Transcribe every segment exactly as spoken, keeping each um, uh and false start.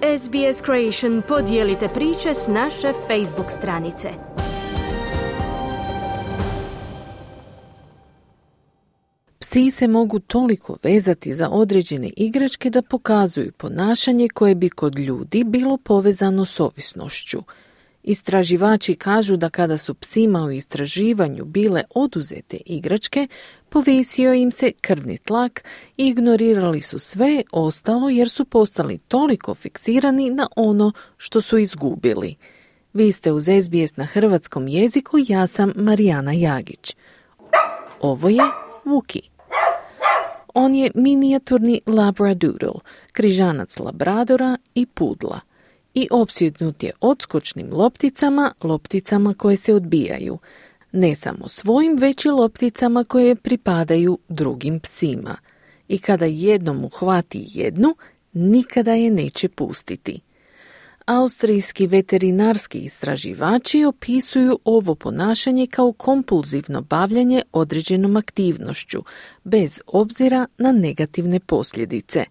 S B S Creation podijelite priče s naše Facebook stranice. Psi se mogu toliko vezati za određene igračke da pokazuju ponašanje koje bi kod ljudi bilo povezano s ovisnošću. Istraživači kažu da kada su psima u istraživanju bile oduzete igračke, povisio im se krvni tlak i ignorirali su sve ostalo jer su postali toliko fiksirani na ono što su izgubili. Vi ste uz S B S na hrvatskom jeziku, ja sam Marijana Jagić. Ovo je Vuki. On je minijaturni labradoodle, križanac labradora i pudla. I opsjednut je odskočnim lopticama, lopticama koje se odbijaju. Ne samo svojim, već i lopticama koje pripadaju drugim psima. I kada jednom uhvati jednu, nikada je neće pustiti. Austrijski veterinarski istraživači opisuju ovo ponašanje kao kompulzivno bavljenje određenom aktivnošću, bez obzira na negativne posljedice.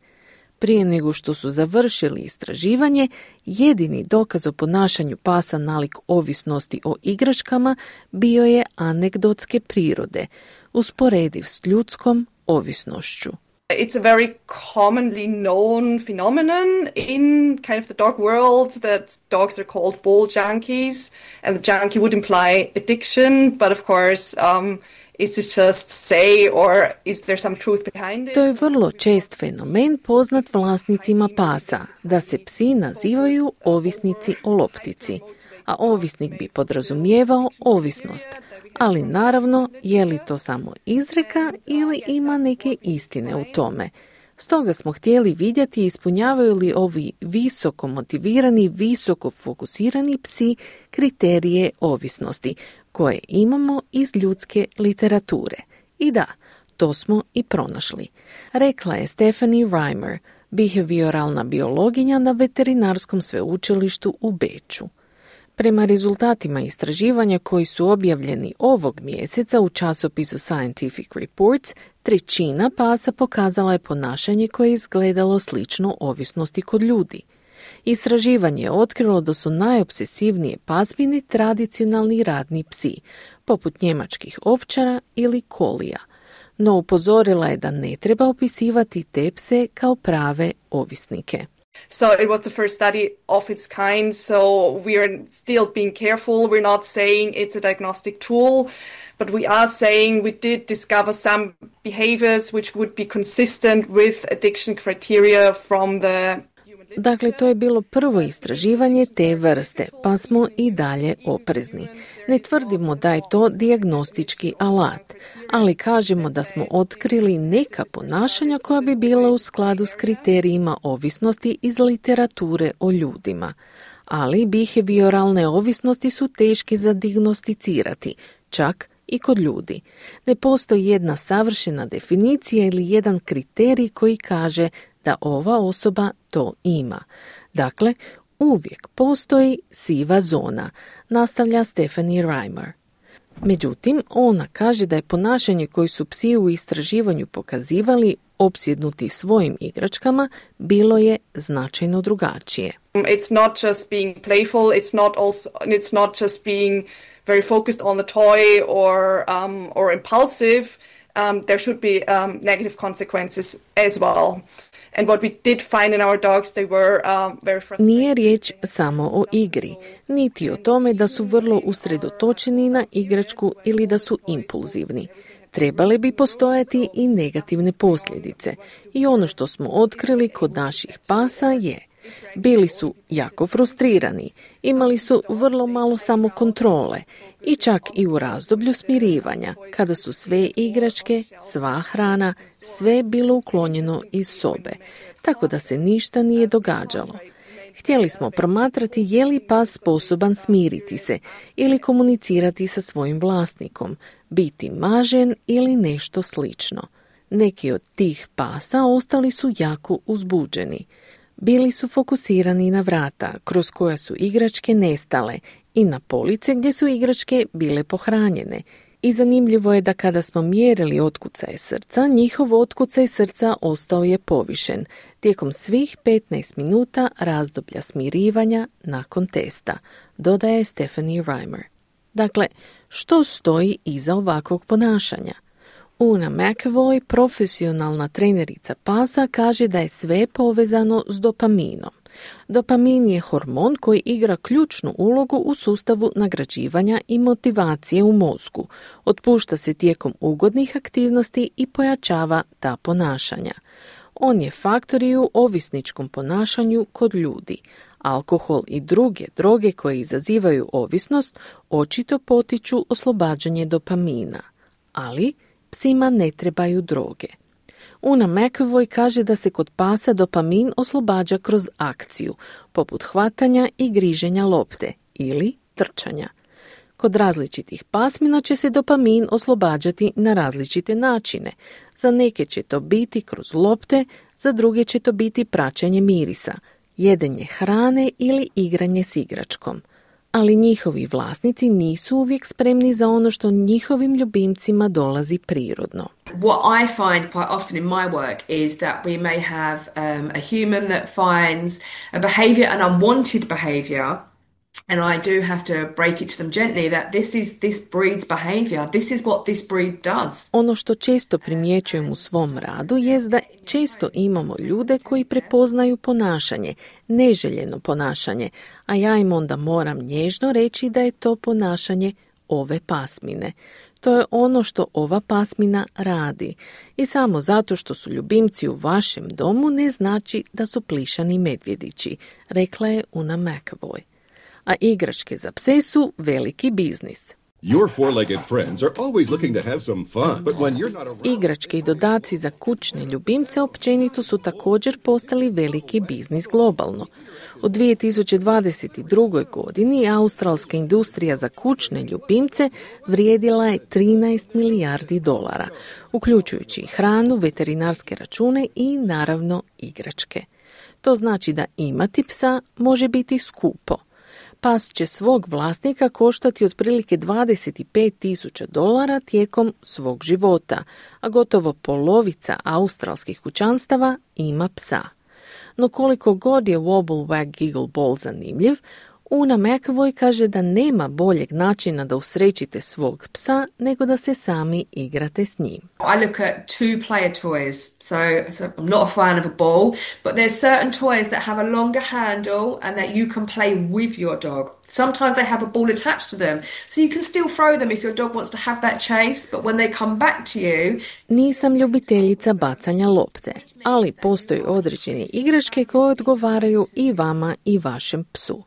Prije nego što su završili istraživanje, jedini dokaz o ponašanju pasa nalik ovisnosti o igračkama bio je anegdotske prirode, usporediv s ljudskom ovisnošću. It's a very commonly known phenomenon in kind of the dog world that dogs are called ball junkies, and the junkie would imply addiction, but of course um, is this just say or is there some truth behind it? To je vrlo čest fenomen poznat vlasnicima pasa, da se psi nazivaju ovisnici o loptici, a ovisnik bi podrazumijevao ovisnost. Ali naravno, je li to samo izreka ili ima neke istine u tome? Stoga smo htjeli vidjeti ispunjavaju li ovi visoko motivirani, visoko fokusirani psi kriterije ovisnosti, koje imamo iz ljudske literature. I da, to smo i pronašli. Rekla je Stephanie Reimer, behavioralna biologinja na veterinarskom sveučilištu u Beču. Prema rezultatima istraživanja koji su objavljeni ovog mjeseca u časopisu Scientific Reports, trećina pasa pokazala je ponašanje koje je izgledalo slično ovisnosti kod ljudi. Istraživanje je otkrilo da su najobsesivnije pasmini tradicionalni radni psi, poput njemačkih ovčara ili kolija. No upozorila je da ne treba opisivati te pse kao prave ovisnike. So it was the first study of its kind, so we are still being careful. We're not saying it's a diagnostic tool, but we are saying we did discover some behaviors which would be consistent with addiction criteria from the... Dakle, to je bilo prvo istraživanje te vrste, pa smo i dalje oprezni. Ne tvrdimo da je to dijagnostički alat, ali kažemo da smo otkrili neka ponašanja koja bi bila u skladu s kriterijima ovisnosti iz literature o ljudima. Ali behavioralne ovisnosti su teške za dijagnosticirati, čak i kod ljudi. Ne postoji jedna savršena definicija ili jedan kriterij koji kaže da ova osoba to ima. Dakle, uvijek postoji siva zona, nastavlja Stephanie Reimer. Međutim, ona kaže da je ponašanje koje su psi u istraživanju pokazivali opsjednuti svojim igračkama bilo je značajno drugačije. It's not just being playful, it's not also it's not just being very focused on the toy or um, or impulsive. Um, there should be um, negative consequences as well. And what we did find in our dogs, they were um, very frustrated. Nije riječ samo o igri, niti o tome da su vrlo usredotočeni na igračku ili da su impulzivni. Trebale bi postojati i negativne posljedice. I ono što smo otkrili kod naših pasa je: bili su jako frustrirani, imali su vrlo malo samokontrole i čak i u razdoblju smirivanja, kada su sve igračke, sva hrana, sve bilo uklonjeno iz sobe, tako da se ništa nije događalo. Htjeli smo promatrati je li pas sposoban smiriti se ili komunicirati sa svojim vlasnikom, biti mažen ili nešto slično. Neki od tih pasa ostali su jako uzbuđeni. Bili su fokusirani na vrata kroz koja su igračke nestale i na police gdje su igračke bile pohranjene I zanimljivo je da kada smo mjerili otkucaje srca, njihov otkucaj srca ostao je povišen tijekom svih petnaest minuta razdoblja smirivanja nakon testa, dodaje Stephanie Reimer. Dakle, što stoji iza ovakvog ponašanja? Una McAvoy, profesionalna trenerica pasa, kaže da je sve povezano s dopaminom. Dopamin je hormon koji igra ključnu ulogu u sustavu nagrađivanja i motivacije u mozgu. Otpušta se tijekom ugodnih aktivnosti i pojačava ta ponašanja. On je faktor i u ovisničkom ponašanju kod ljudi. Alkohol i druge droge koje izazivaju ovisnost očito potiču oslobađanje dopamina. Ali psima ne trebaju droge. Una McAvoy kaže da se kod pasa dopamin oslobađa kroz akciju, poput hvatanja i griženja lopte ili trčanja. Kod različitih pasmina će se dopamin oslobađati na različite načine. Za neke će to biti kroz lopte, za druge će to biti praćenje mirisa, jedenje hrane ili igranje s igračkom. Ali njihovi vlasnici nisu uvijek spremni za ono što njihovim ljubimcima dolazi prirodno. What I find quite often in my work is that we may have um, a human that finds a behaviour, an unwanted behaviour, and I do have to break it to them gently that this is this breed's behaviour, this is what this breed does. Ono što često primjećujem u svom radu jest da često imamo ljude koji prepoznaju ponašanje, neželjeno ponašanje, a ja im onda moram nježno reći da je to ponašanje ove pasmine. To je ono što ova pasmina radi. I samo zato što su ljubimci u vašem domu ne znači da su plišani medvjedići, rekla je Una McAvoy. A igračke za pse su veliki biznis. Your four-legged friends are always looking to have some fun, but when you're not around... Igračke i dodaci za kućne ljubimce općenito su također postali veliki biznis globalno. U dvije tisuće dvadeset druge. godini australska industrija za kućne ljubimce vrijedila je trinaest milijardi dolara, uključujući hranu, veterinarske račune i naravno igračke. To znači da imati psa može biti skupo. Pas će svog vlasnika koštati otprilike dvadeset pet tisuća dolara tijekom svog života, a gotovo polovica australskih kućanstava ima psa. No koliko god je Wobble Wag Giggle Ball zanimljiv, Una McAvoy kaže da nema boljeg načina da usrećite svog psa nego da se sami igrate s njim. I look at two-player toys, so, so I'm not a fan of a ball, but there's certain toys that have a longer handle and that you can play with your dog. Sometimes they have a ball attached to them, so you can still throw them if your dog wants to have that chase, but when they come back to you... Nisam ljubiteljica bacanja lopte, ali postoji određene igračke koje odgovaraju i vama i vašem psu.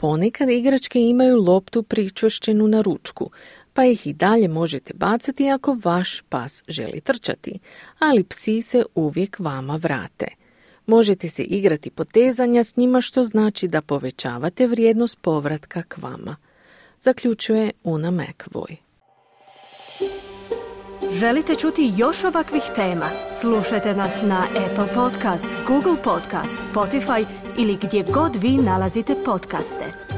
Ponekad igračke imaju loptu pričvršćenu na ručku, pa ih i dalje možete bacati ako vaš pas želi trčati, ali psi se uvijek vama vrate. Možete se igrati potezanja s njima, što znači da povećavate vrijednost povratka k vama, zaključuje Una McAvoy. Želite čuti još ovakvih tema? Slušajte nas na Apple Podcast, Google Podcast, Spotify ili gdje god vi nalazite podcaste.